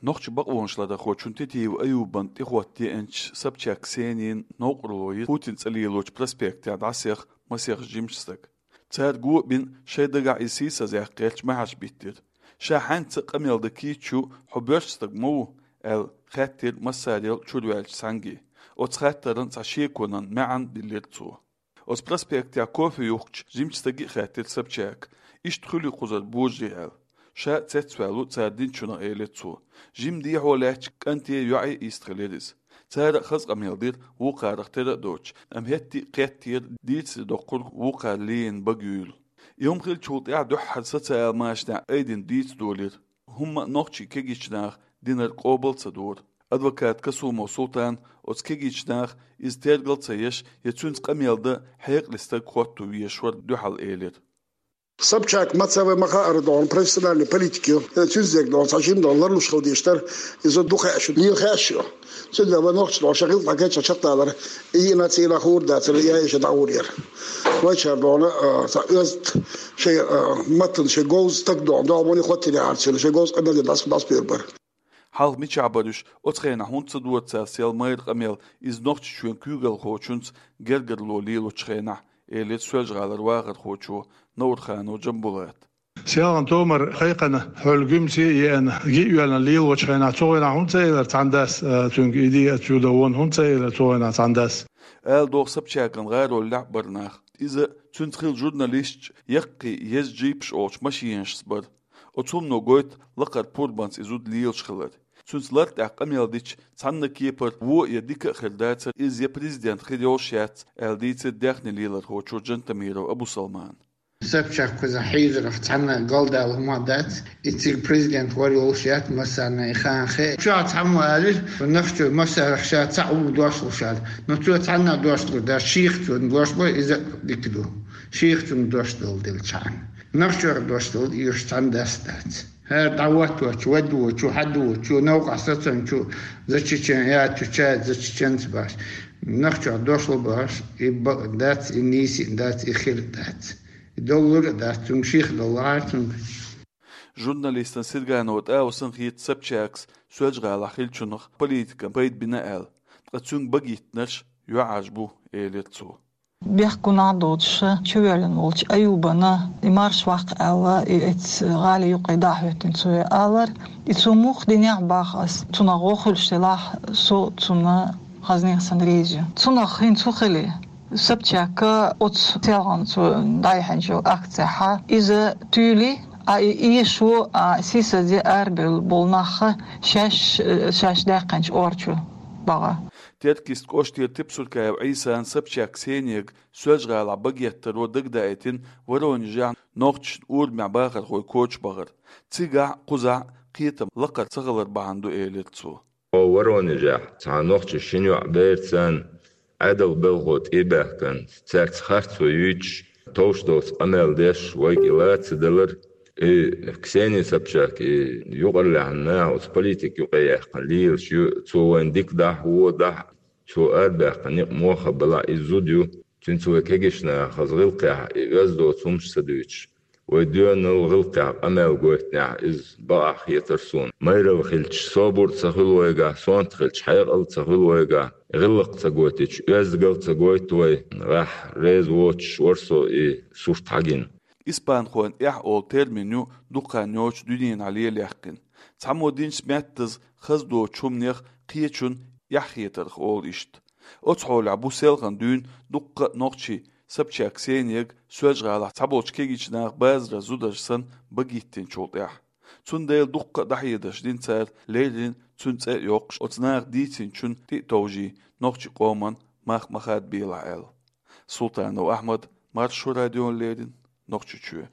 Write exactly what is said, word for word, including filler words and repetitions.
Нохчийн бакъонашларъярхочун Тетиев Аюбан тӀехӀотта деанча Собчак Ксенин новкъарло я Путина цӀа лелочу проспектехь дӀасаеха масех жимачу стага. Цара го а бина, шайн дагахь иза сийсазъяккха гӀерташ маьхьарш биттира. Ша хьаьнца къамел дан кийча ю, хьо боьрша стаг ма ву, аьлла, хаьттира массарел чуьра ваьллачу цхьаьнга. Оцу хаттарна цхьа шеконан маьӀна диллира цо. Оцу проспектехь кофе юхкучу жимачу стага а хаьттира Собчака, иштта хуьлий кхузара божарий аьлла. Ша цецваьлла ву цара динчунах, элира цо. Жима дехьо лаьттачу кӀанте, йоӀе йист хилира иза. Цара а хаза къамел дира, вукхарах тера а доцуш, амма хӀетте а кхеттера дийцаре доккхург вукхара лийна бага юйла. И хӀума хиллачул тӀаьхьа дуьххьара социал машанехь айдина дийца долийра. ХӀумма а нохчийн кегийчу наха динарг къобал ца дора. Адвокат Касумов Султана оцу кегийчу наха иза тергал ца еш я цуьнца къамел дан хьекъале стаг хӀотто везаш вара дуьхьал элира. Собчак ма ца вай ма хаара дохьуна профессиональный политик ю. Цуьнца дерг дохьуна цхьа жима дохьуна ларлуш хила дезаш дара. Иза ду хаьа шу, лела хаьа шу. Цуьнан вай нохчий дохьуна шайн гӀиллакх дӀакхаьчча чекхдалар, и йина цӀийнах хӀора дацара, я иша дӀагӀур яра. Вайчара дохьуна, а, цхьа оьзда шайн, а, маттана шайн говза стаг дохьуна, догӀмане хӀоттийна яхьара цуьнан, шайн говза къамел дина дӀас-, дӀасабевр бара. Хьалха мичахь бара уьш, оцу хенахь хӀунда ца дора цара сел майра къамел, иза Нохчийчоьнан куьйгалхочуьнца гергарло лелочу хенахь, элира Соьлжа-ГӀалара вахархочо Наурханов Джамбулата. Селхана томар кхайкхина, хьол гуьмсе а еана, ги а йоьллина лелочу хенахь, цу хенахь хӀунда ца элира цхьана дас, а, цуьнга и де а чу дан вонна хӀунда ца элира цу хенахь цхьана дас? Ала догӀу Собчакан гӀароллехь бара нах. Иза цуьнца хилла журналисташ яккхий еза джипаш олучу машинашца бара. Оцу хӀумано гойту лакхара пурбанца и зуда лелаш хилар. Цуьнца лартӀехь къамел дича, цхьанна кепара вон я дика а хир дацара, иза я президент хир йолуш яц, аьлла дийцира даьхни лелорхочо Джантамиров Абусалмана. Собчак кхузахь хьийзарах цхьанна галдала хӀума дац, и цига президент вар йолуш яц, массарна и хан хе. Чохь цхьаммо алира, нах чу массарах ша цхьаъ ву дош луш ала. Но цо цхьанна дош лур дац, шех цунна дош бо, иза а дика ду. Шех цунна дош дала делчхьана. Нах чуьра дош дала, уьш цхьана дас дац. ХӀара дӀахӀотточу, вадвочу, хьадвочу, новкъахь сацанчу, за чечен, я чу чай, за чеченца баш. Нах чуьра дош лу баш, и бакъ дац, и нийса дац, и хир дац. И доллар а дац, цунга ших доллар цунга. Журналистан Сирганова ТӀаусан хета Собчакас Соьлжа-ГӀалахь хиллачунах политикан пайда бина аьлла, ткъа цуьнга багиттинарш йоӀарш бу, элира цо. Бехк гунахь доцуша чувоьллина волчу Аюбана и марш ваккха аьлла, и эцу гӀали юккъе дӀахӀоьттина цо алар. И цо муха динехь баха ас, цунах гӀо хуьлуш делахь, со цунна хазанех санна реза ю. Цунах хӀинца хӀу хили? Собчака оцу селхана цо дӀаяьхьначу акцехьа иза туьйли, а и эшо, а сийсазе арабевлла болу нахха шаьш, шаьш даьккхинчу ор чу баха. Теркйист кӀоштера Тепсуркаев Ӏийсан Собчак Ксенега Соьлжа-ГӀалахь багеттаро дагадаийтина Воронежехь нохчашна урамехь бахархой коча бахар. Цигахь а, кхузахь а кхетам лакхара ца хилар бахьана ду, элира цо. Хьо Воронежехь цхьа нохчи шина йоӀ берца Ӏедал белхо тӀе а баьхкина, цаьрца харцо юьйцуш, товш доцу къамел деш, вай кӀелаца далар. И Ксения Собчак, и юкъарлаьхьна наха оцу политика юкъе яьккхина лелаш ю, цо вайна дика дахьа, вон дахьа, цо арабаьккхина некъ мохха балахь, иза зуда ю. Цуьнца вай кегийчу наха хаза гӀиллакхехь, и оьзда доцу хӀумаш ца дуьйцуш, вай доьналла гӀиллакхехь къамел гойтинехь, иза бакъахь хетара суна. Майралла хилча, собар а ца хуьлу вайгахь, сонта хилча, хьекъал а ца хуьлу вайгахь, гӀиллакх ца гойтича, оьздангалла ца гойту вай, гӀехь реза воцуш вара со и сурт хьагина. Испанхойн эхь олу термин ю дукха хан йоцуш дуьненахь лелаяьккхина. Цхьаммо динчу меттаза хаза доцучу хӀуманех кхечунна эхь хетарх олу иштта. Оцу хьолехь бу селхана дуьйна дуккха а нохчий Собчак Ксенега Соьлжа-ГӀалахь цхьаболчу кегийчу наха базаран зударша санна багиттинчул тӀаьхьа. Цундела дуккха а дӀахьедарш дина цара, леррина цуьнан цӀе а йоккхуш, оцу наха дийцинчунна тӀе а товжий, нохчийн къоман мах ма хадабелахь аьлла. Султанов Ахьмад, Маршо радиона леррина, Нохчийчоь.